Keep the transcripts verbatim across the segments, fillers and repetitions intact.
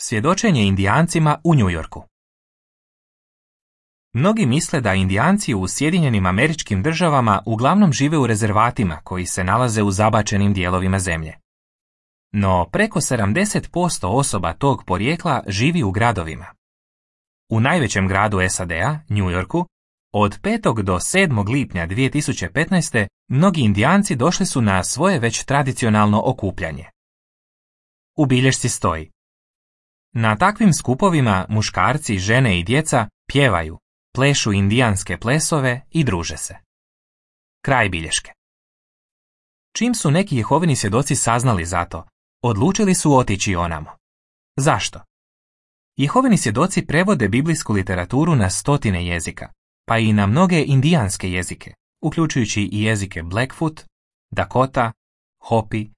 Svjedočenje Indijancima u New Yorku. Mnogi misle da Indijanci u Sjedinjenim Američkim Državama uglavnom žive u rezervatima koji se nalaze u zabačenim dijelovima zemlje. No preko sedamdeset posto osoba tog porijekla živi u gradovima. U najvećem gradu S A D-a, New Yorku, od petog do sedmog lipnja dvije tisuće petnaeste. mnogi Indijanci došli su na svoje već tradicionalno okupljanje. U bilješci stoji: na takvim skupovima muškarci, žene i djeca pjevaju, plešu indijanske plesove i druže se. Kraj bilješke. Čim su neki Jehovini svjedoci saznali za to, odlučili su otići onamo. Zašto? Jehovini svjedoci prevode biblijsku literaturu na stotine jezika, pa i na mnoge indijanske jezike, uključujući i jezike Blackfoot, Dakota, Hopi,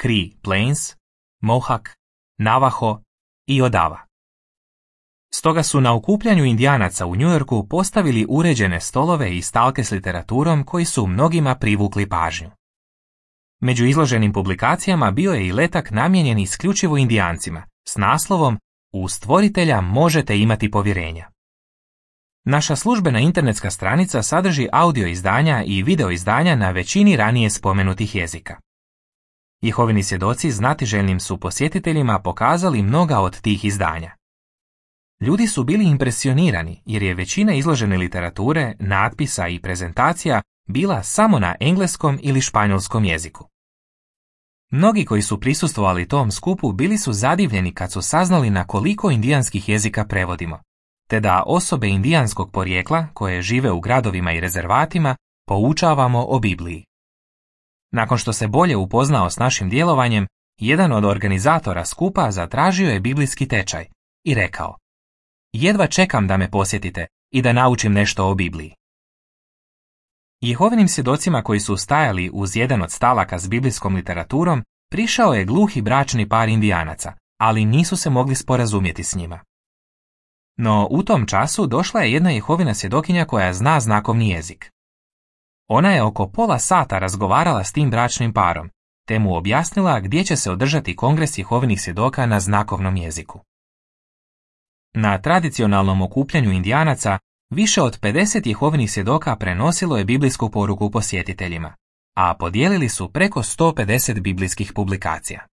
Cree Plains, Mohawk, Navajo i Odava. Stoga su na okupljanju Indijanaca u New Yorku postavili uređene stolove i stalke s literaturom koji su mnogima privukli pažnju. Među izloženim publikacijama bio je i letak namijenjen isključivo Indijancima s naslovom U stvoritelja možete imati povjerenja. Naša službena internetska stranica sadrži audio izdanja i video izdanja na većini ranije spomenutih jezika. Jehovini svjedoci znatiželjnim su posjetiteljima pokazali mnoga od tih izdanja. Ljudi su bili impresionirani jer je većina izložene literature, natpisa i prezentacija bila samo na engleskom ili španjolskom jeziku. Mnogi koji su prisustvovali tom skupu bili su zadivljeni kad su saznali na koliko indijanskih jezika prevodimo, te da osobe indijanskog porijekla koje žive u gradovima i rezervatima poučavamo o Bibliji. Nakon što se bolje upoznao s našim djelovanjem, jedan od organizatora skupa zatražio je biblijski tečaj i rekao: jedva čekam da me posjetite i da naučim nešto o Bibliji. Jehovinim svjedocima koji su stajali uz jedan od stalaka s biblijskom literaturom prišao je gluhi bračni par Indijanaca, ali nisu se mogli sporazumjeti s njima. No u tom času došla je jedna Jehovina svjedokinja koja zna znakovni jezik. Ona je oko pola sata razgovarala s tim bračnim parom, te mu objasnila gdje će se održati kongres Jehovinih svjedoka na znakovnom jeziku. Na tradicionalnom okupljanju Indijanaca više od pedeset Jehovinih svjedoka prenosilo je biblijsku poruku posjetiteljima, a podijelili su preko sto pedeset biblijskih publikacija.